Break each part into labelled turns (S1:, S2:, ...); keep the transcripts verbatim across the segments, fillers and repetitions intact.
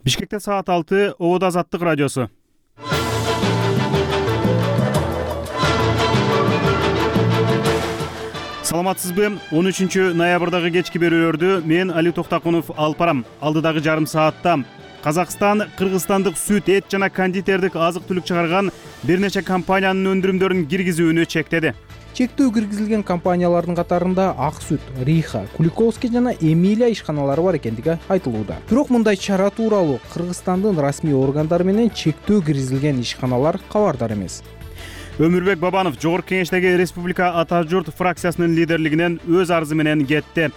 S1: Бишкекте саат алты, Ободо Азаттык радиосу. Саламатсызбы? он үчүнчү ноябрдагы кечки берүүлөрдү мен Али Токтакунов алып барам. Алдыдагы жарым саатта Казакстан кыргызстандык сүт, эт жана кондитердик азык-түлүк чыгарган бир нече компаниянын өндүрүмдөрүн киргизүүнү чектеди.
S2: Чектөө киргизилген компаниялардын катарында Ак сүт, Риха, Куликовский жана Эмилия ишканалары бар экендиги айтылууда. Бирок мындай чара тууралуу Кыргызстандын расмий органдары менен чектөө киргизилген ишканалар кабардар эмес.
S1: Өмүрбек Бабанов Жогорку Кеңештеги Республика Ата журт фракциясынын лидерлигинен өз арызы менен кетти.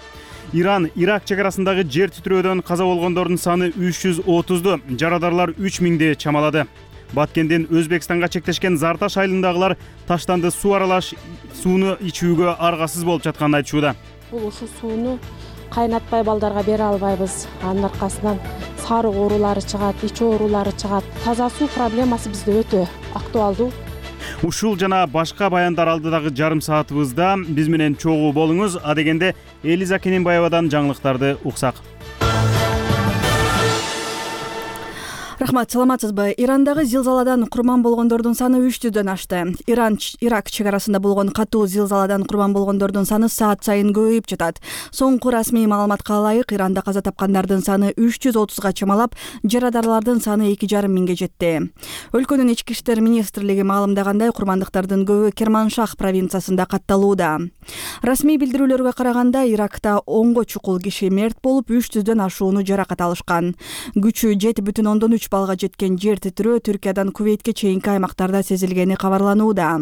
S1: Иран Ирак чек арасындагы жер титирөөдөн каза болгондордун саны үч жүз отузду, жарадарлар үч миңди чамалады. Баткенден Өзбекстанга чектешкен Зарташ айылындагылар таштанды суу аралаш сууну ичүүгө аргасыз болуп жатканын айтышууда.
S3: Бул ушул сууну кайнатпай балдарга бере албайбыз. Анын аркасынан сарык оорулары чыгат, ич оорулары чыгат. Таза суу проблемасы бизде өтө актуалдуу.
S1: Ушул жана башка баяндар алдыдагы жарым саатыбызда биз менен чогуу болуңуз. А дегенде Элиза Кененбаевадан жаңылыктарды уксак.
S4: Рахмат, саламатсызбы? Ирандагы зилзаладан курман болгондордун саны үч жүздөн ашты. Иран Ирак чек арасында болгон катуу зилзаладан курман болгондордун саны саат сайын көбөйүп жатат. Соңку расмий маалыматка ылайык, Иранда каза тапкандардын саны үч жүз отузга чамалап, жарадарлардын саны эки жарым миңге жетти. Өлкөнүн ички иштер министрлиги маалымдагандай, курмандыктардын көбү Керманшах провинциясында катталууда. Расмий билдирүүлөргө караганда, Иракта онго чукул киши мерт болуп, үч жүздөн ашууну жаракат алышкан. Күчү жети бүтүн ондон үч балга жеткен жер титирөө Түркиядан Кувейтке чейинки аймактарда сезилгени кабарланууда.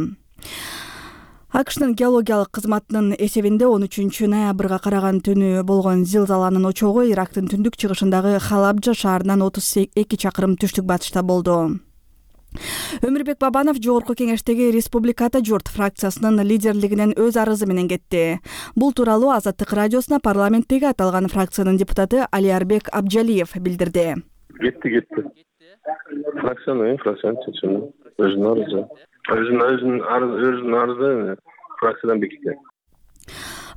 S4: АКШнын геологиялык кызматынын эсебинде он үчүнчү ноябрга караган түнү болгон зилзаланын очогу Ирактын түндүк чыгышындагы Халабжа шаарынан отуз эки чакырым түштүк батышта болду. Өмүрбек Бабанов Жогорку Кеңештеги Республика Ата журт фракциясынын лидерлигинен өз арызы менен кетти. Бул тууралуу Азаттык радиосуна парламенттеги аталган фракциянын депутаты Алиарбек Абджалиев билдирди.
S5: Кетти, кетти. Фракцияны, фракцияны чечими. Өзүнүн арызы. Өзүнүн өзүнүн арызы, өзүнүн арызы фракциядан бекитти.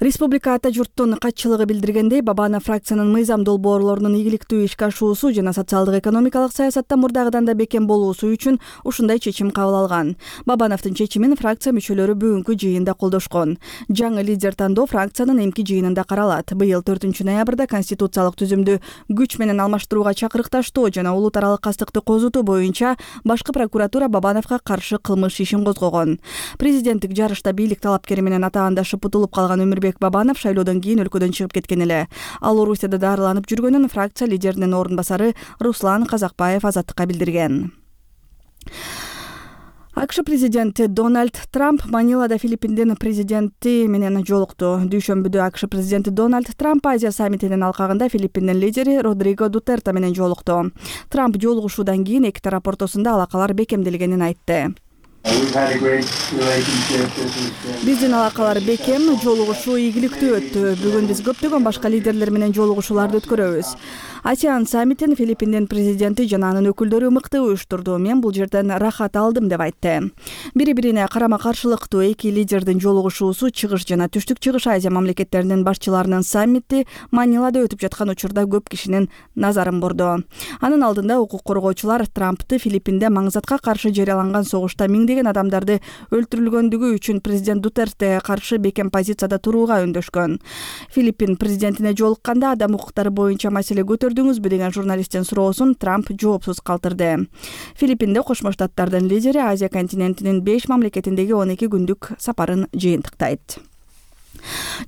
S4: Республика Ата журттун катчылыгы билдиргендей, Бабанов фракциянын мыйзам долбоорлорунун ийгиликтүү ишке ашуусу жана социалдык экономикалык саясатта мурдагыдан да бекем болуусу үчүн ушундай чечим кабыл алган. Бабановдун чечимин фракция мүчөлөрү бүгүнкү жыйында колдошкон. Жаңы лидер тандоо фракциянын эмки жыйынында каралат. Быйыл төртүнчү ноябрда конституциялык түзүмдү күч менен алмаштырууга чакырыкташтоо жана улут аралык кастыкты козутуу боюнча башкы прокуратура Бабановго каршы кылмыш ишин козгогон. Президенттик жарышта бийлик талапкери менен атаандашып утулуп калган Өмүрбек Бабанов шайлоодон кийин өлкөдөн чыгып кеткен эле. Ал Орусияда дарыланып жүргөнүн фракция лидеринин орун басары Руслан Казакбаев Азаттыкка билдирген. АКШ президенти Дональд Трамп Манилада Филиппиндин президенти менен жолукту. Дүйшөмбүдө АКШ президенти Дональд Трамп Азия саммитинин алкагында Филиппиндин лидери Родриго Дутерте менен жолукту. Трамп жолугушуудан кийин эки тарап ортосунда алакалар бекемделгенин айтты. Биздин алакалар бекем, жолугушуу ийгиликтүү өттү. Бүгүн биз көптөгөн башка лидерлер менен жолугушууларды өткөрөбүз. Асиан саммитин Филиппиндин президенти жана анын өкүлдөрү мыкты уюштурду. Мен бул жерден рахат алдым деп айтты. Бири-бирине карама-каршылыктуу эки лидердин жолугушуусу чыгыш жана түштүк чыгыш Азия мамлекеттеринин башчыларынын саммити Манилада өтүп жаткан учурда көп кишинин назарын борду. Анын алдында укук коргоочулар Трампты Филиппинде маңзатка каршы жарыяланган согушта миңдеген адамдарды өлтүрүлгөндүгү үчүн президент Дутертеге каршы бекем позицияда турууга үндөшкөн. Филиппин президентине жолукканда адам укуктары боюнча маселе көтөрдүңүзбү деген журналисттин суроосун Трамп жоопсуз калтырды. Филиппинде Кошмо Штаттардын лидери Азия континентинин беш мамлекетиндеги он эки күндүк сапарын жыйынтыктайт.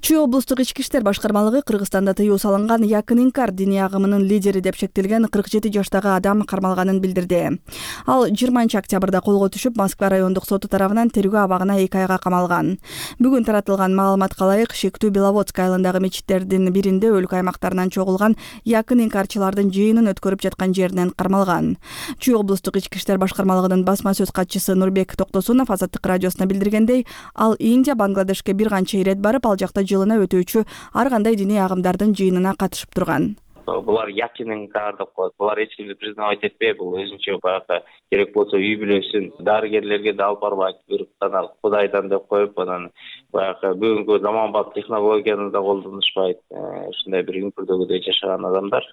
S4: Чүй облустук ички иштер башкармалыгы Кыргызстанда тыюу салынган якын инкар диний агымынын лидери деп шектелген кырк жети жаштагы адам кармалганын билдирди. Ал жыйырманчы октябрда колго түшүп, Москва райондук соту тарабынан тергөө абагына эки айга камалган. Бүгүн таратылган маалыматка ылайык, шектүү Беловодск айылындагы мечиттердин биринде өлкө аймактарынан чогулган якын инкарчылардын жыйынын өткөрүп жаткан жеринен кармалган. Чүй облустук ички иштер башкармалыгынын басма сөз катчысы Нурбек Токтосунов Азаттык радиосуна билдиргендей, ал Индия, Бангладешке бир канча ирет барып, ал жакта жылына өтүүчү ар кандай диний агымдардын жыйынына катышып турган.
S6: Булар якинин кар деп коет. Булар эч кимди признавать этпей, бул өзүнчө баягы керек болсо үй бүлөсүн дарыгерлерге да алып барбайт. Бир гана Кудайдан деп коюп, анан баягы бүгүнкү заманбап технологияны да колдонушпайт. Ушундай бир үңкүрдөгүдөй жашаган адамдар.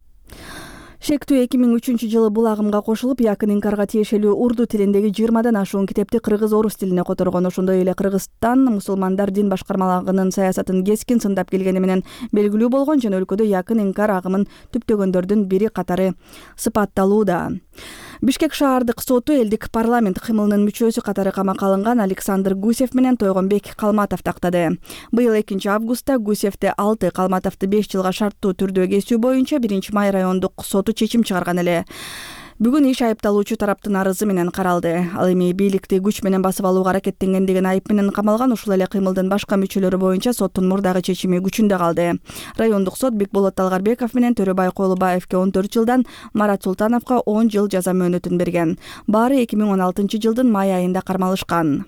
S4: шектүү эки миң үчүнчү жылы бул агымга кошулуп, Якын Инкарга тиешелүү урду тилиндеги жыйырмадан ашуун китепти кыргыз орус тилине которгон. Ошондой эле Кыргызстан мусулмандар дин башкармалыгынын саясатын кескин сындап келгени менен белгилүү болгон жана өлкөдө Якын Инкар агымын түптөгөндөрдүн бири катары сыпатталууда. Бишкек шаардык соту элдик парламент кымылынын мүчөсү катары камакка алынган Александр Гусев менен Тойгонбек Калматов тактады. Быйыл экинчи августта Гусевди алты, Калматовду беш жылга шарттуу түрдө кесүү боюнча биринчи май райондук соту чечим чыгарган эле. Бүгүн иш айыпталуучу тараптын арызы менен каралды. Ал эми бийликти күч менен басып алууга аракеттенген деген айып менен камалган. Ушул эле кыймылдын башка мүчөлөрү боюнча соттун мурдагы чечими күчүндө калды. Райондук сот Бекболот Талгарбеков менен Төрөбай Коолубаевке он төрт жылдан, Марат Султановго он жыл жаза мөөнөтүн берген. Баары эки миң он алтынчы жылдын май айында кармалышкан.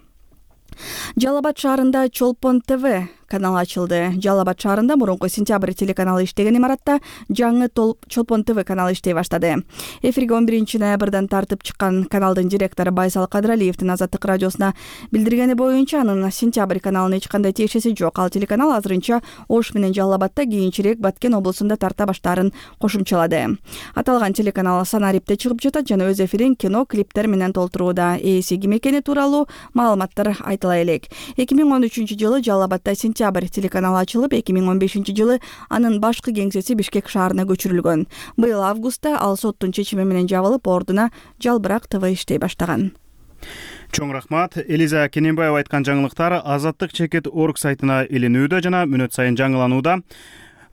S4: Жалал Абад шаарында Чолпон ТВ каналы ачылды. Жалал Абад шаарында мурунку Сентябрь телеканалы иштеген имаратта жаңы Чолпон ТВ каналы иштей баштады. Эфирге он биринчи ноябрдан тартып чыккан каналдын директору Байсал Кадыралиевдин Азаттык радиосуна билдиргени боюнча, анын Сентябрь каналына эч кандай тиешеси жок. Ал телеканал азырынча Ош менен Жалал Абадта, кийинчерээк Баткен облусунда тарта баштаарын кошумчалады. Аталган телеканал Санарипте чыгып жатат жана өз эфирин кино, клиптер менен толтурууда. Ээси ким экени тууралуу маалыматтар айтыла элек. эки миң он үчүнчү жылы Жалал Абадта Сентябрь телеканалы ачылып, эки миң он бешинчи жылы анын башкы кеңсеси Бишкек шаарына көчүрүлгөн. Быйыл августта ал соттун чечими менен жабылып, ордуна Жалбырак ТВ иштей баштаган.
S1: Чоң рахмат. Элиза Кененбаева айткан жаңылыктар Азаттык чекит точка орг сайтына илинүүдө жана мүнөт сайын жаңыланууда.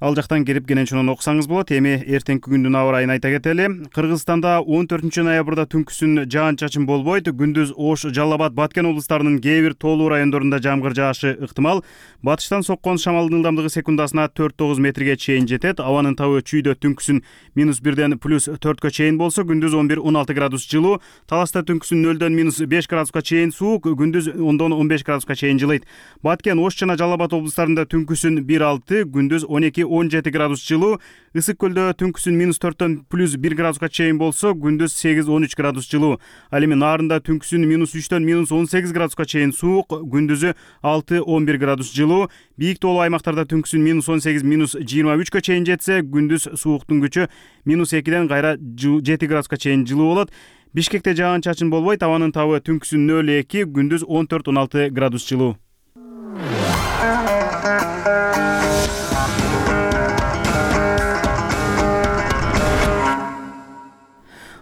S1: Ал жактан кирип кенен окусаңыз болот. Эми эртеңки күндүн аба ырайын айта кетели. Кыргызстанда он төртүнчү ноябрда түнкүсүн жаан-чачын болбойт. Күндүз Ош, Жалал Абад, Баткен облустарынын кээ бир тоолуу райондорунда жамгыр жаашы ыктымал. Батыштан соккон шамалдын ылдамдыгы секундасына төрт тогуз метрге чейин жетет. Абанын табы чүйдө түнкүсүн минус бирден плюс төрткө чейин болсо, күндүз он бир он алты градус жылуу. Таласта түнкүсүн нөлдөн минус беш градуска чейин суук, күндүз ондон он беш градуска чейин жылыйт. Баткен, Ош жана Жалал Абад облустарында түнкүсүн бир алты, күндүз он эки он жети градус жылуу. Ысык көлдө түнкүсүн минус төрттөн плюс бир градуска чейин болсо, күндүз сегиз он үч градус жылуу. Ал эми Нарында түнкүсүн минус үчтөн минус он сегиз градуска чейин суук, күндүзү алты он бир градус жылуу. Бийик тоолуу аймактарда түнкүсүн минус он сегиз минус жыйырма үчкө чейин жетсе, күндүз сууктун күчү минус экиден кайра жети градуска чейин жылуу болот. Бишкекте жаан-чачын болбойт. Абанын табы түнкүсүн нөл эки, күндүз он төрт он алты градус жылуу.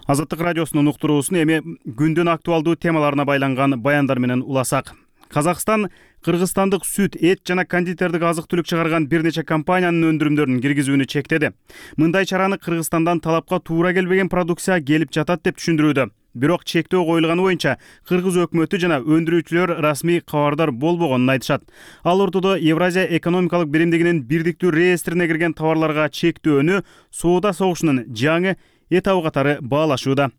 S1: Азаттык радиосунун уктуруусун эми күндүн актуалдуу темаларына байланган баяндар менен уласак. Казакстан кыргызстандык сүт, эт жана кондитердик азык-түлүк чыгарган бир нече компаниянын өндүрүмдөрүн киргизүүнү чектеди. Мындай чараны Кыргызстандан талапка туура келбеген продукция келип жатат деп түшүндүрүүдө. Бирок чектөө коюлганы боюнча кыргыз өкмөтү жана өндүрүүчүлөр расмий кабардар болбогонун айтышат. Ал ортодо Евразия экономикалык биримдигинин бирдиктүү реестрине кирген товарларга чектөөнү соода согушунун жаңы этабы катары баалашууда.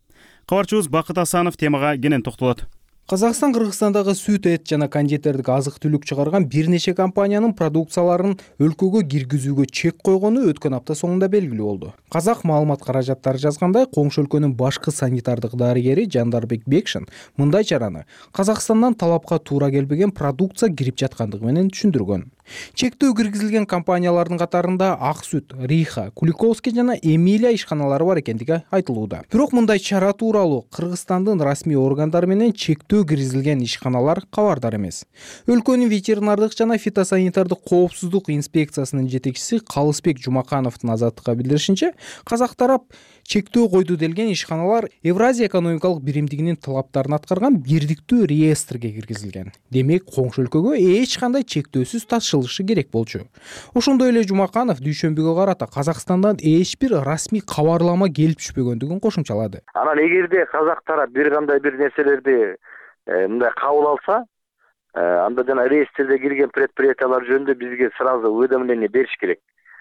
S1: Кабарчыбыз Бакыт Асанов темага кенен токтолот.
S2: Казакстан Кыргызстандагы сүт, эт жана кондитердик азык-түлүк чыгарган бир нече компаниянын продукцияларын өлкөгө киргизүүгө чек койгону өткөн апта соңунда белгилүү болду. Казак маалымат каражаттары жазгандай, коңшу өлкөнүн башкы санитардык дарыгери Жандарбек Бекшин мындай чараны Казакстандан талапка туура келбеген продукция кирип жаткандыгы менен түшүндүргөн. Чектөө киргизилген компаниялардын катарында Ак сүт, Риха, Куликовский жана Эмилия ишканалары бар экендиги айтылууда. Бирок мындай чара тууралуу Кыргызстандын расмий органдары менен чектөө киргизилген ишканалар кабардар эмес. Өлкөнүн ветеринардык жана фитосанитардык коопсуздук инспекциясынын жетекчиси Калысбек Жумакановдун Азаттыкка билдиришинче, казак тарап чектөө койду делген ишканалар Евразия экономикалык биримдигинин талаптарын аткарган бирдиктүү реестрге киргизилген. Демек, коңшу өлкөгө эч кандай чектөөсүз ташылышы керек болчу. Ошондой эле Жумаканов дүйшөмбүгө карата Казакстандан эч бир расмий кабарлама келип түшпөгөндүгүн кошумчалады.
S7: Анан эгерде казак тарап бир кандай бир нерселерди мындай кабыл алса, анда жана реестрде кирген предприятиялар жөнүндө бизге сразу уведомление бериш керек.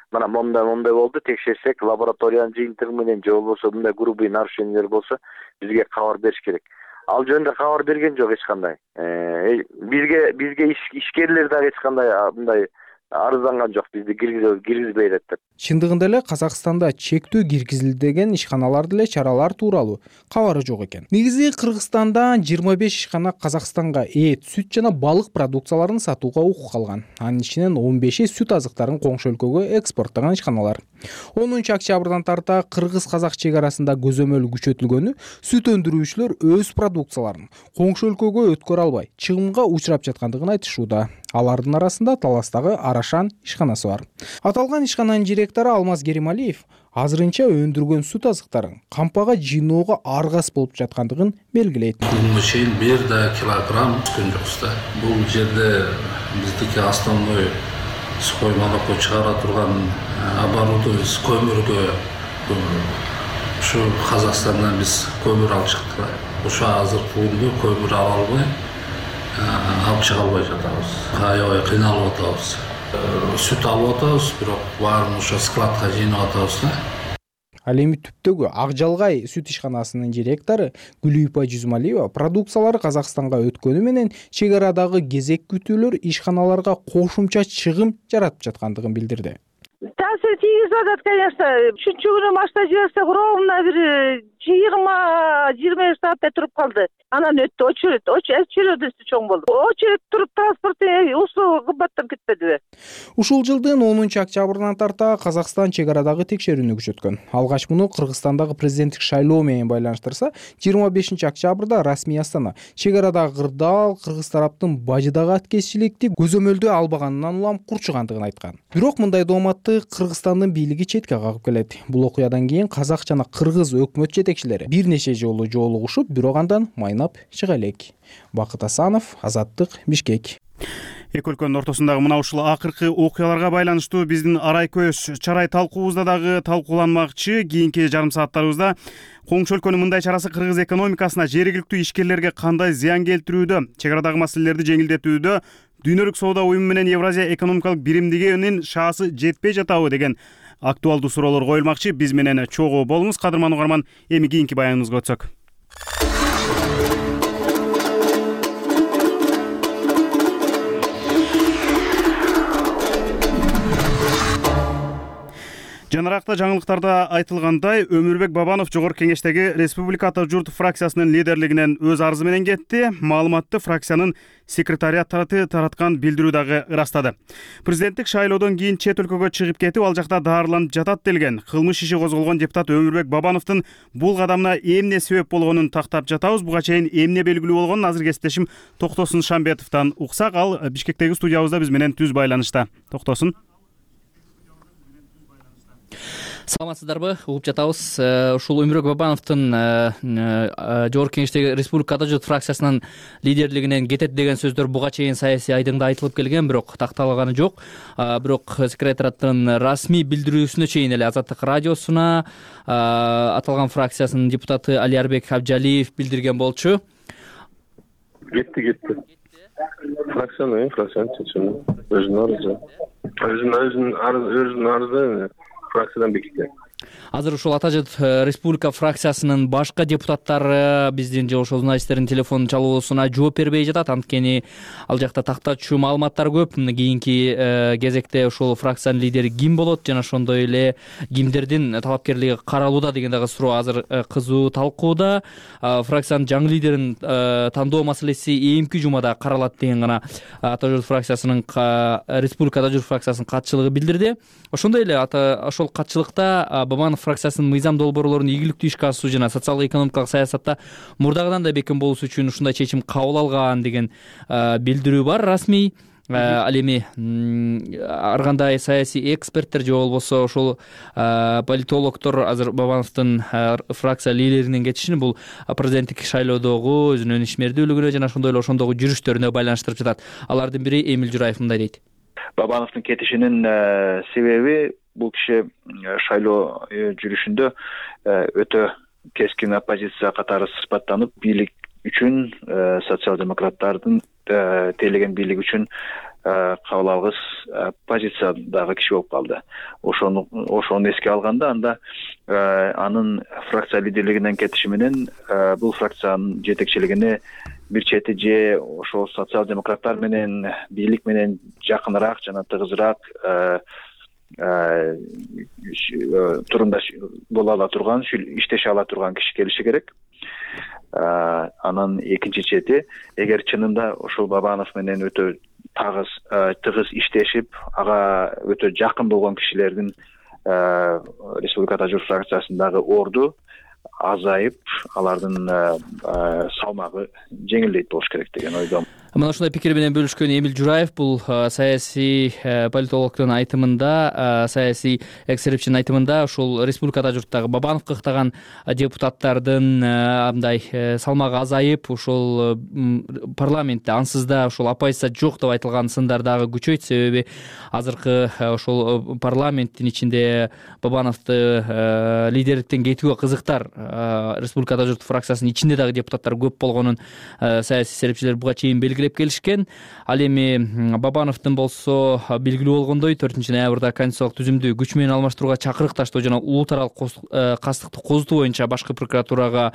S7: Мына мондай мондай болду, текшерсек, лабораториянын жыйынтыгы менен же болбосо мындай грубый нарушениялер болсо бизге кабар бериш керек. Ал жөнүндө кабар берген жок эч кандай. Бизге бизге ишкерлер дагы эч кандай мындай арызданган жок, бизди киргизбей элек деп.
S2: Чындыгында эле Казакстанда чектөө киргизилди деген ишканалар деле чаралар тууралуу кабары жок экен. Негизи Кыргызстандан жыйырма беш ишкана Казакстанга эт, сүт жана балык продукцияларын сатууга укук алган. Анын ичинен он беши сүт азыктарын коңшу өлкөгө экспорттогон ишканалар. онунчу октябрдан тарта кыргыз-казак чек арасында көзөмөл күчөтүлгөнү сүт өндүрүүчүлөр өз продукцияларын коңшу өлкөгө өткөрө албай чыгымга учурап жаткандыгын айтышууда. Алардын арасында Таластагы Арашан ишканасы бар. Аталган ишкананын директору Алмаз Керималиев азырынча өндүргөн сүт азыктарын кампага жыйноого аргас болуп жаткандыгын белгилейт.
S8: Бүгүнкү чейин бир да килограмм түшкөн жокпуз да. Бул жерде биздики основной коймалыкка чыгара турган оборудование көмүргө ушу Казакстандан биз көмүр алып чыктык. Ушу азыркы күндө көмүр ала албай алып чыга албай жатабыз. Аябай кыйналып атабыз. Сүт алып атабыз, бирок баарын ошо складка жыйнап атабыз да.
S2: Ал эми түптөгү Ак Жалгай сүт ишканасынын директору Гүлүйпа Жүзмалиева продукциялары Казакстанга өткөнү менен чек арадагы кезек күтүүлөр ишканаларга кошумча чыгым жаратып жаткандыгын билдирди.
S9: Таасир тийгизип атат, конечно. Үчүнчү күнү машина жиберсек, ровно бир жыйырма жыйырма беш сааттай туруп калды. Анан өттү, очередь, очередь чоң болду. Очередь туруп транспорт усу кымбаттап кетпедиби?
S2: Ушул жылдын онунчу октябрынан тарта Казакстан чек арадагы текшерүүнү күчөткөн. Алгач муну Кыргызстандагы президенттик шайлоо менен байланыштырса, жыйырма бешинчи октябрда расмий Астана чек арадагы кырдаал кыргыз тараптын бажыдагы аткезчиликти көзөмөлдөө албаганынан улам курчугандыгын айткан. Бирок мындай дооматты Кыргызстандын бийлиги четке кагып келет. Бул окуядан кийин казак жана кыргыз өкмөт жетекчилери бир нече жолу жолугушуп, бирок андан майнап чыга элек. Бакыт Асанов, Азаттык, Бишкек.
S1: Эки өлкөнүн ортосундагы мына ушул акыркы окуяларга байланыштуу биздин арай көз чарай талкуубузда дагы талкууланмакчы. Кийинки жарым сааттарыбызда коңшу өлкөнүн мындай чарасы кыргыз экономикасына, жергиликтүү ишкерлерге кандай зыян келтирүүдө, чек арадагы маселелерди жеңилдетүүдө Дүйнөлүк соода уюму менен Евразия экономикалык биримдигинин шаасы жетпей жатабы деген актуалдуу суроолор коюлмакчы. Биз менен чогуу болуңуз, кадырман угарман. Эми кийинки баяныбызга өтсөк. Жанаракта жаңылыктарда айтылгандай, Өмүрбек Бабанов Жогорку Кеңештеги Республика Ата журт фракциясынын лидерлигинен өз арызы менен кетти. Маалыматты фракциянын секретариаттары тараткан билдирүү дагы ырастады. Президенттик шайлоодон кийин чет өлкөгө чыгып кетип, ал жакта даарыланып жатат делген кылмыш иши козголгон депутат Өмүрбек Бабановдун бул кадамына эмне себеп болгонун тактап жатабыз. Буга чейин эмне белгилүү болгонун азыр кесиптешим Токтосун Шамбетовдон уксак, ал Бишкектеги студиябызда биз менен түз байланышта. Токтосун.
S10: Саламатсыздарбы? Угуп жатабыз. Ушул Өмүрбек Бабановдун Жогорку Кеңештеги Республика Ата журт фракциясынын лидерлигинен кетет деген сөздөр буга чейин саясий айдыңда айтылып келген, бирок такталганы жок. Бирок секретариаттын расмий билдирүүсүнө чейин эле Азаттык радиосуна аталган фракциясынын депутаты Алиарбек Абжалиев билдирген болчу.
S5: Кетти, кетти. Фракциянын, фракциянын чечими. Өзүнүн арызы. Өзүнүн арызы, өзүнүн арызы фракциядан бекиткен.
S10: Азыр ушул Ата журт Республика фракциясынын башка депутаттары биздин же ошол журналисттердин телефон чалуусуна жооп бербей жатат. Анткени ал жакта тактачуу маалыматтар көп. Кийинки кезекте ушул фракциянын лидери ким болот жана ошондой эле кимдердин талапкерлиги каралууда деген дагы суроо азыр кызуу талкууда. Фракциянын жаңы лидерин тандоо маселеси эми жумада каралат деген гана Ата журт фракциясынын Республика Ата журт фракциясынын катчылыгы билдирди. Ошондой эле ошол катчылыкта Бабанов фракциясынын мыйзам долбоорлорун ийгиликтүү ишке асыруу жана социалдык-экономикалык саясатта мурдагыдан да бекем болуш үчүн ушундай чечим кабыл алган деген билдирүү бар расмий. Ал эми ар кандай саясий эксперттер же болбосо ошол политологдор азыр Бабановдун фракция лидеринин кетишин бул президенттик шайлоодогу өзүнүн ишмердүүлүгүнө жана ошондой эле ошондогу жүрүштөрүнө байланыштырып жатат. Алардын бири Эмил Жураев мындай дейт.
S11: Бабановдун кетишинин себеби бул киши шайлоо жүрүшүндө өтө кескин оппозиция катары сыпаттанып, бийлик үчүн социал-демократтардын тейлеген бийлик үчүн кабыл алгыс позициядагы киши болуп калды. Ошону ошону эске алганда, анда анын фракция лидерлигинен кетиши менен бул фракциянын жетекчилигине бир чети же ошол социал-демократтар менен бийлик менен жакыныраак жана тыгызыраак турундаш боло ала турган, иштеше ала турган киши келиши керек. Анан экинчи чети, эгер чынында ошол Бабанов менен өтө тагыз тыгыз иштешип, ага өтө жакын болгон кишилердин Республика Ата журт фракциясындагы орду азайып, алардын салмагы жеңилдейт болуш керек деген ойдомун.
S10: Мына ушундай пикир менен бөлүшкөн Эмил Жураев бул саясий политологдун айтымында, саясий эксперттин айтымында ушул Республика Ата журттагы Бабановго ыктаган депутаттардын мындай салмагы азайып, ушул парламентте ансыз да ушул оппозиция жок деп айтылган сындар дагы күчөйт. Себеби азыркы ушул парламенттин ичинде Бабановду лидерликтен кетүүгө кызыктар Республика Ата журт фракциясынын ичинде дагы депутаттар көп болгонун саясий серепчилер буга чейин белгилеп келишкен. Ал эми Бабановдун болсо белгилүү болгондой төртүнчү ноябрда конституциялык түзүмдү күч менен алмаштырууга чакырык таштоо жана улуу таралык кастыкты козутуу боюнча башкы прокуратурага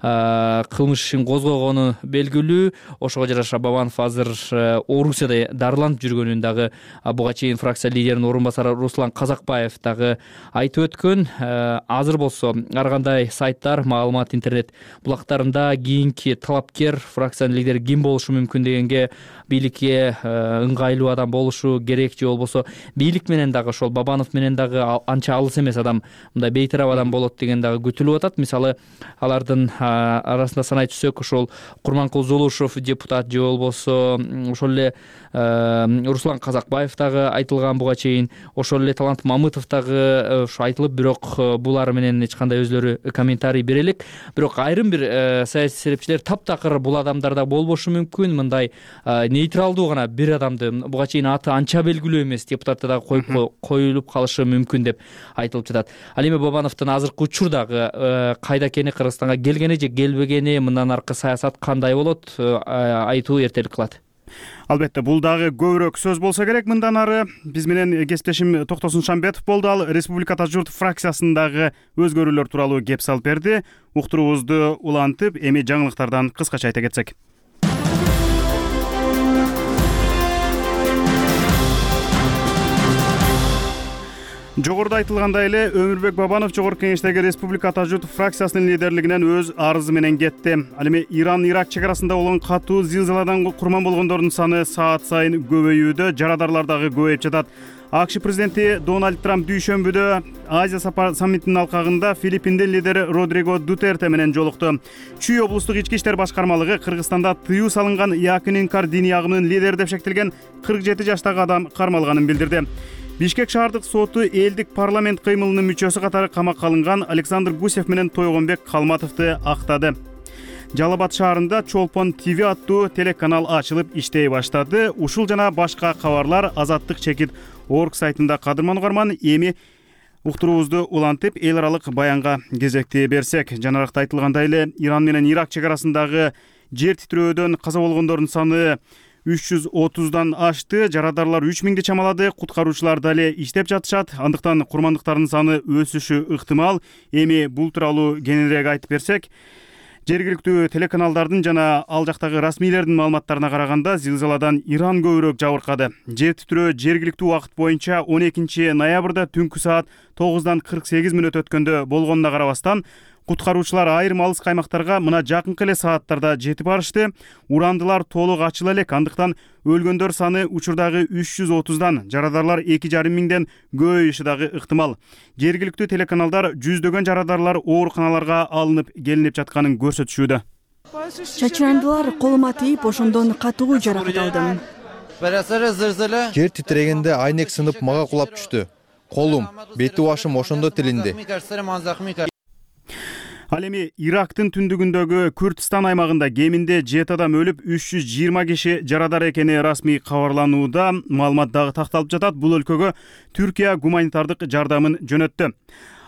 S10: кылмыш ишин козгогону белгилүү. Ошого жараша Бабанов азыр Орусияда дарыланып жүргөнүн дагы буга чейин фракция лидеринин орун басары Руслан Казакбаев дагы айтып өткөн. Азыр болсо ар кандай сайттар, маалымат интернет булактарында кийинки талапкер фракциянын лидери ким болушу мүмкүн дегенге бийликке ыңгайлуу адам болушу керек же болбосо бийлик менен дагы ошол Бабанов менен дагы анча алыс эмес адам, мындай бейтарап адам болот деген дагы күтүлүп атат. Мисалы алардын арасында санай түшсөк, ошол Курманкул Золушев депутат же болбосо ошол эле Руслан Казакбаев дагы айтылган буга чейин, ошол эле Талант Мамытов дагы ушу айтылып, бирок булар менен эч кандай өзлөрү комментарий бере элек. Бирок айрым бир саясий серепчилер таптакыр бул адамдарда болбошу мүмкүн, мындай нейтралдуу гана бир адамды, буга чейин аты анча белгилүү эмес депутатты дагы коюп коюлуп калышы мүмкүн деп айтылып жатат. Ал эми Бабановдун азыркы учурдагы кайда экени, Кыргызстанга келгени же келбегени, мындан аркы саясат кандай болот, айтуу эртелик кылат.
S1: Албетте, бул дагы көбүрөөк сөз болсо керек. Мындан ары биз менен кесиптешим Токтосун Шамбетов болду. Ал Республика Ата журт фракциясындагы өзгөрүүлөр тууралуу кеп салып берди. Уктуруубузду улантып, эми жаңылыктардан кыскача айта кетсек. Жогоруда айтылгандай эле, Өмүрбек Бабанов Жогорку Кеңештеги Республика Ата журт фракциясынын лидерлигинен өз арызы менен кетти. Ал эми Иран-Ирак чек арасында болгон катуу зилзаладан курман болгондордун саны саат сайын көбөйүүдө, жарадарлар дагы көбөйүп жатат. АКШ президенти Дональд Трамп дүйшөмбүдө Азия саммитинин алкагында Филиппиндин лидери Родриго Дутерте менен жолукту. Чүй облустук ички иштер башкармалыгы Кыргызстанда тыюу салынган Якин Инкар диний агымынын лидери деп шектелген кырк жети жаштагы адам кармалганын билдирди. Бишкек шаардык соту элдик парламент кыймылынын мүчөсү катары камакка алынган Александр Гусев менен Тойгонбек Калматовду актады. Жалал Абад шаарында Чолпон ТВ аттуу телеканал ачылып иштей баштады. Ушул жана башка кабарлар Азаттык чекит орг сайтында. Кадырман угарман, эми уктуруубузду улантып, эл аралык баянга кезекти берсек. Жанаракта айтылгандай эле, Иран менен Ирак чек арасындагы жер титирөөдөн каза болгондордун саны үч жүз отуздан ашты, жарадарлар үч миңди чамалады, куткаруучулар дале иштеп жатышат. Андыктан курмандыктардын саны өсүшү ыктымал. Эми бул тууралуу кененирээк айтып берсек, жергиликтүү телеканалдардын жана ал жактагы расмийлердин маалыматтарына караганда, зилзаладан Иран көбүрөөк жабыркады. Жер титирөө жергиликтүү убакыт боюнча он экинчи ноябрда түнкү саат тогуздан кырк сегиз мүнөт өткөндө болгонуна карабастан, куткаруучулар айрым алыс каймактарга мына жакынкы эле сааттарда жетип барышты. Урандылар толук ачыла элек, андыктан өлгөндөр саны учурдагы үч жүз отуздан, жарадарлар эки жарым миңден көбөйүшү дагы ыктымал. Жергиликтүү телеканалдар жүздөгөн жарадарлар ооруканаларга алынып келинип жатканын көрсөтүшүүдө.
S4: Чачырандылар колума тийип, ошондон катуу жаракат алдым.
S12: Жер титирегенде айнек сынып мага кулап түштү. Колум, бети башым ошондо тилинди.
S1: Ал эми Ирактын түндүгүндөгү Күрдистан аймагында кеминде жети адам өлүп, үч жүз жыйырма киши жарадар экени расмий кабарланууда. Маалымат дагы такталып жатат. Бул өлкөгө Түркия гуманитардык жардамын жөнөттү.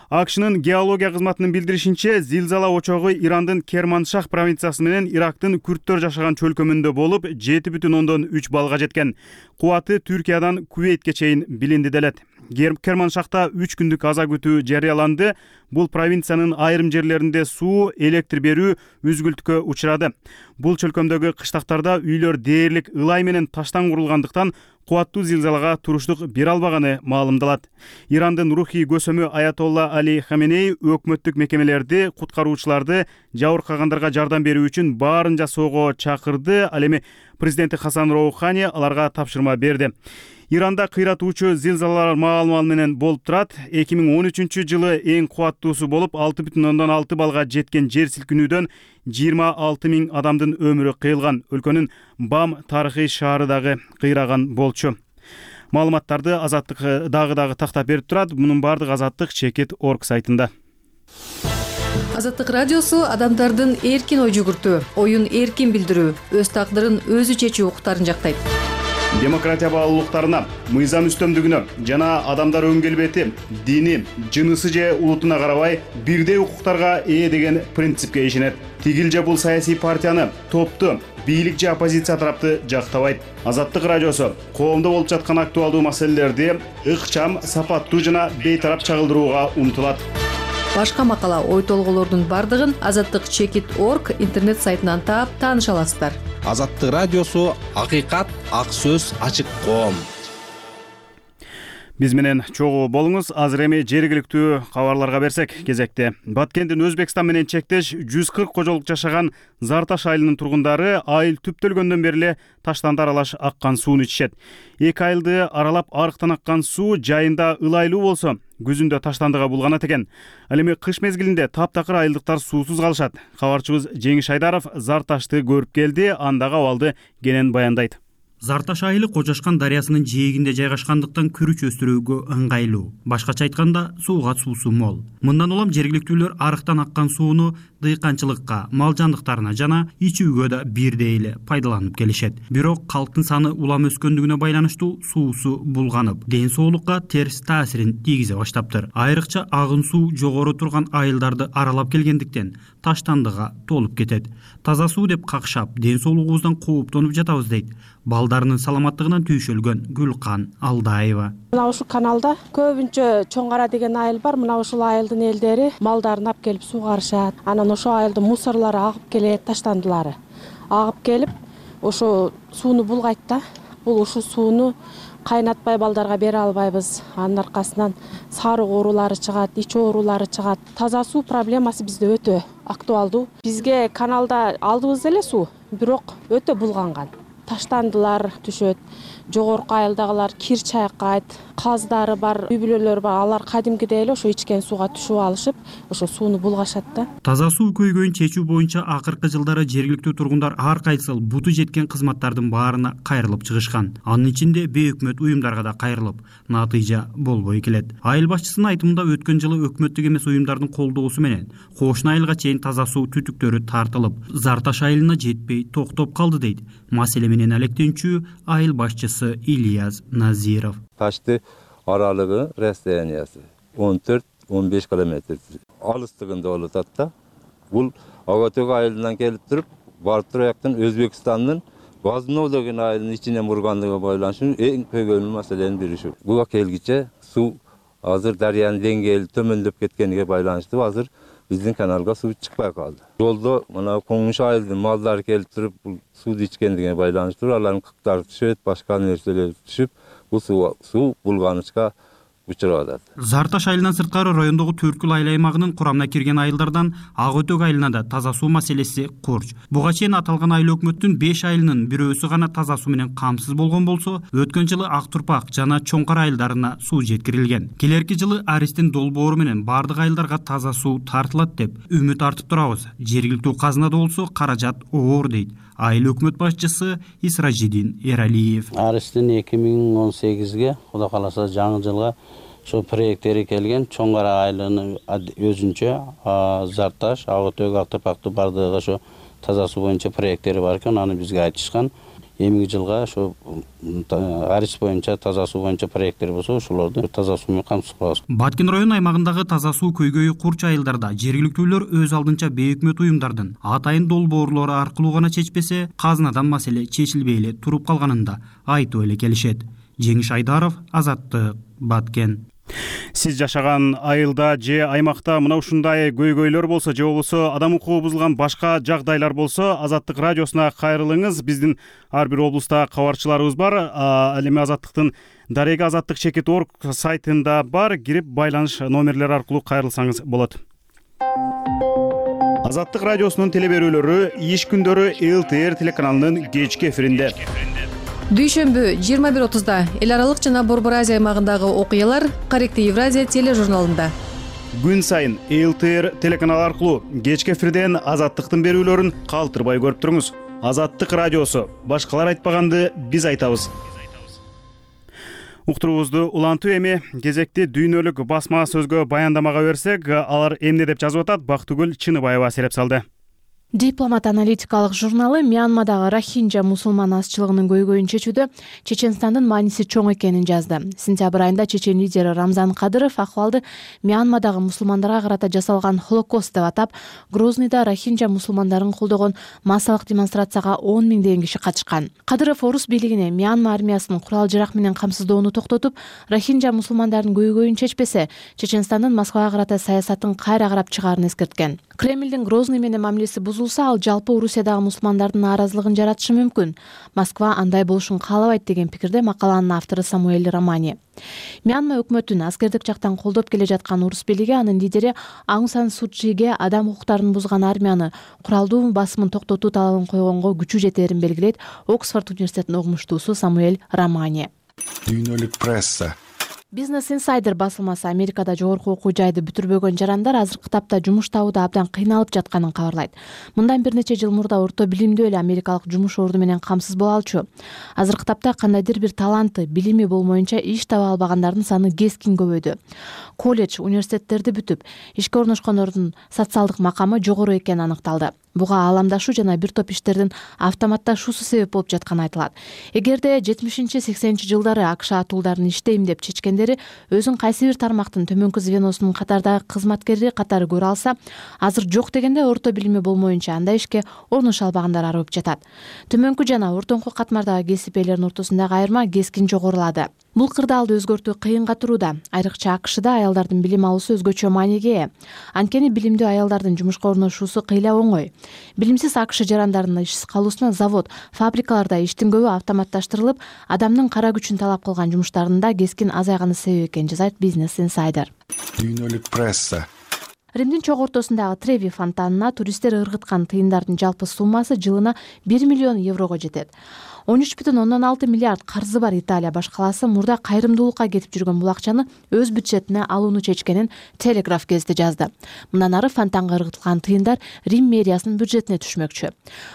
S1: АКШнын геология кызматынын билдиришинче, зилзала очогу Ирандын Керманшах провинциясы менен Ирактын күрттөр жашаган чөлкөмүндө болуп, жети бүтүн ондон үч баллга жеткен. Кубаты Түркиядан Кувейтке чейин билинди делет. Керманшахта үч күндүк аза күтүү жарыяланды. Бул провинциянын айрым жерлеринде суу, электр берүү үзгүлтүккө учурады. Бул чөлкөмдөгү кыштактарда үйлөр дээрлик ылай менен таштан курулгандыктан кубаттуу зилзалага туруштук бере албаганы маалымдалат. Ирандын рухий көсөмү Аятолла Али Хаменей өкмөттүк мекемелерди, куткаруучуларды жабыркагандарга жардам берүү үчүн баарын жасоого чакырды. Ал эми президенти Хасан Роухани аларга тапшырма берди. Иранда кыйратуучу зилзалалар маал-маал менен болуп турат. эки миң он үчүнчү жылы эң кубаттуусу болуп алты бүтүн ондон алты балга жеткен жер силкинүүдөн жыйырма алты миң адамдын өмүрү кыйылган. Өлкөнүн Бам тарыхый шаары дагы кыйраган болчу. Маалыматтарды Азаттык дагы дагы тактап берип турат. Мунун баардыгы Азаттык чекит точка орг сайтында.
S13: Азаттык радиосу адамдардын эркин ой жүгүртүү, оюн эркин билдирүү, өз тагдырын өзү чечүү укуктарын жактайт.
S1: Демократия баалуулуктарына, мыйзам үстөмдүгүнө жана адамдар өн келбети, дини, жынысы же улутуна карабай бирдей укуктарга ээ деген принципке ишенет. Тигил же бул саясий партияны, топту, бийлик же оппозиция тарапты жактабайт. Азаттык радиосу коомдо болуп жаткан актуалдуу маселелерди ыкчам, сапаттуу жана бейтарап чагылдырууга умтулат.
S13: Башка макала, ой толголордун бардыгын азаттык чекит точка орг интернет сайтынан таап тааныша аласыздар.
S2: Азаттык радиосу акыйкат, ак сөз, ачык коом.
S1: Биз менен чогуу болуңуз. Азыр эми жергиликтүү кабарларга берсек, кезекте. Баткендин Өзбекстан менен чектеш жүз кырк кожолук жашаган Зарташ айылынын тургундары айыл түптөлгөндөн бери эле таштанды аралаш аккан сууну ичишет. Эки айылды аралап арыктан аккан суу жайында ылайлуу болсо, күзүндө таштандыга булганат экен. Ал эми кыш мезгилинде таптакыр айылдыктар суусуз калышат. Кабарчыбыз Жеңиш Айдаров Зарташты көрүп келди, андагы абалды кенен баяндайт.
S14: Зарташ айылы Кожашкан дарыясынын жээгинде жайгашкандыктан күрүч өстүрүүгө ыңгайлуу. Башкача айтканда, сууга суусу мол. Мындан улам жергиликтүүлөр арыктан аккан сууну дыйканчылыкка, мал жандыктарына жана ичүүгө да бирдей эле пайдаланып келишет. Бирок калктын саны улам өскөндүгүнө байланыштуу суусу булганып, ден соолукка терс таасирин тийгизе баштаптыр. Айрыкча агын суу жогору турган айылдарды аралап келгендиктен таштандыга толуп кетет. Таза суу деп какшап, ден соолугубуздан кооптонуп жатабыз дейт балдарынын саламаттыгынан түйшөлгөн Гүлкан Алдаева.
S3: Мына ушул каналда көбүнчө Чоң Кара деген айыл бар. Мына ушул айылдын элдери малдарын алып келип суугарышат. Анан ошол айылдын мусорлору агып келет, таштандылары агып келип ошо сууну булгайт да. Бул ушул сууну кайнатпай балдарга бере албайбыз. Анын аркасынан сарык оорулары чыгат, ич оорулары чыгат. Таза суу проблемасы бизде өтө актуалдуу. Бизге каналда алдыбыз эле суу, бирок өтө булганган. Таштандылар түшөт, жогорку айылдагылар кир чайкайт, каздары бар, үй бүлөлөр бар, алар кадимкидей эле ошо ичкен сууга түшүп алышып, ошо сууну булгашат да.
S14: Таза суу көйгөйүн чечүү боюнча акыркы жылдары жергиликтүү тургундар ар кайсыл буту жеткен кызматтардын баарына кайрылып чыгышкан. Анын ичинде бейөкмөт уюмдарга да кайрылып, натыйжа болбой келет. Айыл башчысынын айтымында өткөн жылы өкмөттүк эмес уюмдардын колдоосу менен кошуна айылга чейин таза суу түтүктөрү тартылып, Зарташ айылына жетпей токтоп калды дейт. Маселе менен алектенчүү айыл башчысы Ильяс Назиров.
S15: Ташты аралыгы расстояниясы он төрт он беш километр алыстыгында болуп атат да. Бул Агатөк айылынан келип туруп, барып турактан Өзбекстандын Базмно деген айылдын ичине мургандыгы байланыштуу эң көйгөйлүү маселенин бири ушу. Буга келгиче суу азыр дарыянын деңгээли төмөндөп кеткениге байланыштуу азыр биздин каналга суу чыкпай калды. Жолдо мына Коңуш айылдын малдары келип туруп, бул сууну ичкендигине байланыштуу алардын кыктары түшөт, башка нерселер түшүп, бул суу суу булганычка учурап атат.
S14: Зарташ айылынан сырткары райондогу Төркүл айыл аймагынын курамына кирген айылдардан Ак Өтөк айылына да таза суу маселеси курч. Буга чейин аталган айыл өкмөттүн беш айылынын бирөөсү гана таза суу менен камсыз болгон болсо, өткөн жылы Ак Турпак жана Чоң Кара айылдарына суу жеткирилген. Келерки жылы Аристин долбоору менен бардык айылдарга таза суу тартылат деп үмүт артып турабыз. Жергиликтүү казынада болсо каражат оор дейт айыл өкмөт башчысы Исражидин Эралиев.
S16: Аристин эки миң он сегизге, Кудай кааласа жаңы жылга ошо проекттери келген. Чоң Кара айылынын өзүнчө Зарташ, Ак Өтөк, Ак Турпактын бардыгы ошо таза суу боюнча проекттери бар экен. Аны бизге айтышкан. Эмиги жылга ошо Арис боюнча таза суу боюнча проекттер болсо, ошолорду таза суу менен камсыз кылабыз.
S14: Баткен району аймагындагы таза суу көйгөйү курч айылдарда жергиликтүүлөр өз алдынча бейөкмөт уюмдардын атайын долбоорлору аркылуу гана чечпесе, казынадан маселе чечилбей эле туруп калганын да айтып эле келишет. Жеңиш Айдаров, Азаттык, Баткен.
S1: Сиз жашаган айылда же аймакта мына ушундай көйгөйлөр болсо, же болбосо адам укугу бузулган башка жагдайлар болсо, Азаттык радиосуна кайрылыңыз. Биздин ар бир облуста кабарчыларыбыз бар. Ал эми Азаттыктын дареги азаттык чекит точка орг сайтында бар. Кирип байланыш номерлери аркылуу кайрылсаңыз болот. Азаттык радиосунун теле берүүлөрү иш күндөрү эл тэ эр телеканалынын кечки эфиринде.
S13: дүйшөмбү жыйырма бир отузда эл аралык жана Борбор Азия аймагындагы окуялар Корректив Евразия тележурналында.
S1: Күн сайын эл тэ эр телеканалы аркылуу кечки эфирден Азаттыктын берүүлөрүн калтырбай көрүп туруңуз. Азаттык радиосу. Башкалар айтпаганды биз айтабыз. Уктуруубузду улантуу эми кезекти дүйнөлүк басма сөзгө баяндамага берсек, алар эмне деп жазып атат? Бактыгүл Чыныбаева сереп салды.
S17: Дипломат аналитикалык журналы Мьянмадагы рохинджа мусулман азчылыгынын көйгөйүн чечүүдө Чеченстандын мааниси чоң экенин жазды. Сентябрь айында чечен лидери Рамзан Кадыров акыбалды Мьянмадагы мусулмандарга карата жасалган холокост деп атап, Грознийда рохинджа мусулмандарын колдогон массалык демонстрацияга он миңдеген киши катышкан. Кадыров орус бийлигине Мьянма армиясынын курал-жарак менен камсыздоону токтотуп, рохинджа мусулмандардын көйгөйүн чечпесе, Чеченстандын Москвага карата саясатын кайра карап чыгаарын эскерткен. Кремлдин Грозный менен мамилеси бузулса, ал жалпы Орусиядагы мусулмандардын нааразылыгын жаратышы мүмкүн. Москва андай болушун каалабайт деген пикирде макаланын автору Самуэль Романи. Мьянма өкмөтүн аскердик жактан колдоп келе жаткан орус бийлиги анын лидери Аун Сан Су Чиге адам укуктарын бузган армияны куралдуу басымын токтотуу талабын койгонго күчү жетээрин белгилейт. Оксфорд университетинин угмуштуусу Самуэль Романи.
S18: Дүйнөлүк пресса.
S17: Business Insider басылмасы Америкада жогорку окуу жайды бүтүрбөгөн жарандар азыркы тапта жумуш табууда абдан кыйналып жатканын кабарлайт. Мындан бир нече жыл мурда орто билимдүү эле америкалык жумуш орду менен камсыз боло алчу. Азыркы тапта кандайдыр бир таланты, билими болмоюнча иш таба албагандардын саны кескин көбөйдү. Колледж, университеттерди бүтүп, ишке орношкондордун социалдык макамы жогору экени аныкталды. Буга ааламдашуу жана бир топ иштердин автоматташуусу себеп болуп жатканы айтылат. Эгерде жетимишинчи сексенинчи жылдары АКШ атуулдарын иштейм деп чечкендери өзүн кайсы бир тармактын төмөнкү звеносунун катардагы кызматкери катары көрө алса, азыр жок дегенде орто билими болмоюнча андай ишке орношо албагандар арыбып жатат. Төмөнкү жана ортоңку катмардагы кесип ээлеринин ортосундагы айырма кескин жогорулады. Бул кырдаалды өзгөртүү кыйынга турууда. Айрыкча АКШда аялдардын билим алуусу өзгөчө мааниге ээ. Анткени билимдүү аялдардын жумушка орношуусу кыйла оңой. Билимсиз АКШ жарандарынын ишсиз калуусуна завод, фабрикаларда иштин көбү автоматташтырылып, адамдын кара күчүн талап кылган жумуштарынын да кескин азайганы себеп экенин жазайт Business Insider.
S18: Дүйнөлүк пресса.
S17: Римдин чок ортосундагы Треви фонтанына туристтер ыргыткан тыйындардын жалпы суммасы жылына бир миллион еврого жетет. он үч бүтүн ондон алты миллиард карзы бар Италия баш калаасы мурда кайрымдуулукка кетип жүргөн бул акчаны өз бюджетине алууну чечкенин Телеграф гезити жазды. Мындан ары фонтанга ыргытылган тыйындар Рим мэриясынын бюджетине түшмөкчү.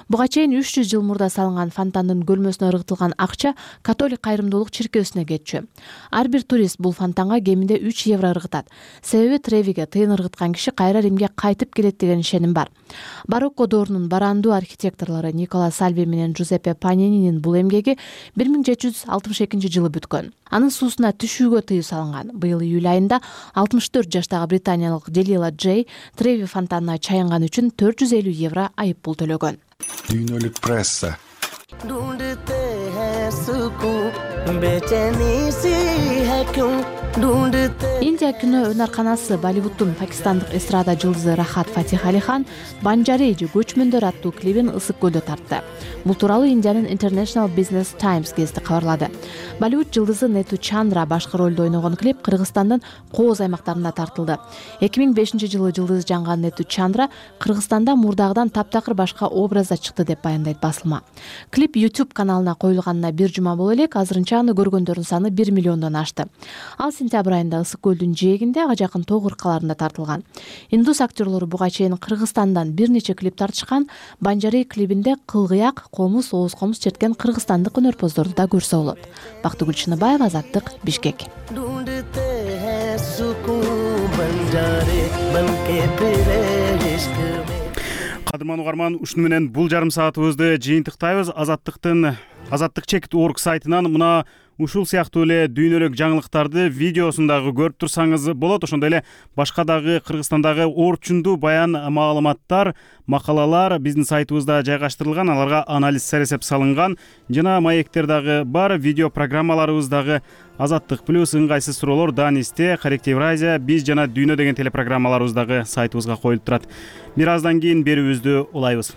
S17: Буга чейин үч жүз жыл мурда салынган фонтандын көлмөсүнө ыргытылган акча католик кайрымдуулук чиркөөсүнө кетчү. Ар бир турист бул фонтанга кеминде үч евро ыргытат. Себеби Тревиге тыйын ыргыткан киши кайра Римге кайтып келет деген ишеним бар. Барокко доорунун барандуу архитекторлору Никола Сальви менен Джузеппе Панининин бул эмгеги бир миң жети жүз алтымыш экинчи жылы бүткөн. Анын суусуна түшүүгө тыюу салынган. Быйыл июль айында алтымыш төрт жаштагы британиялык Делила Джей Треви фонтанына чаянган үчүн төрт жүз элүү евро айып пул төлөгөн.
S18: Дүйнөлүк пресса.
S17: Индия кино өнөрканасы Болливудтун пакистандык эстрада жылдызы Рахат Фатих Али Хан Банжари же көчмөндөр аттуу клибин Ысык көлдө тартты. Бул тууралуу Индиянын International Business Times гезити кабарлады. Болливуд жылдызы Нету Чандра башкы ролдо ойногон клип Кыргызстандын Кооз аймактарында тартылды. эки миң бешинчи жылы жылдыз жанган Нету Чандра Кыргызстанда мурдагыдан таптакыр башка образда чыкты деп баяндайт басылма. Клип YouTube каналына коюлганына бир жума боло элек, азырынча аны көргөндөрдүн саны бир миллиондон ашты. Ал сентябрь айында Ысык көлдүн жээгинде ага жакын тоо кыркаларында тартылган. Индус актерлору буга чейин Кыргызстандан бир нече клип тартышкан. Банжари клибинде кылгыяк, комуз, ооз комуз черткен кыргызстандык өнөрпоздорду да көрсө болот. Бактыгүл Чыныбаева, Азаттык, Бишкек.
S1: Кадырман угарман, ушуну менен бул жарым саатыбызды жыйынтыктайбыз. Азаттыктын азаттык чек точка орг сайтынан мына ушул сыяктуу эле дүйнөлүк жаңылыктарды видеосун дагы көрүп турсаңыз болот. Ошондой эле башка дагы Кыргызстандагы орчундуу баян маалыматтар, макалалар биздин сайтыбызда жайгаштырылган. Аларга анализ сересеп салынган жана маектер дагы бар. Видео программаларыбыз дагы Азаттык плюс, ыңгайсыз суроолор, Данисте, Корректив Евразия, биз жана Дүйнө деген телепрограммаларыбыз дагы сайтыбызга коюлуп турат. Бир аздан кийин берүүбүздү улайбыз.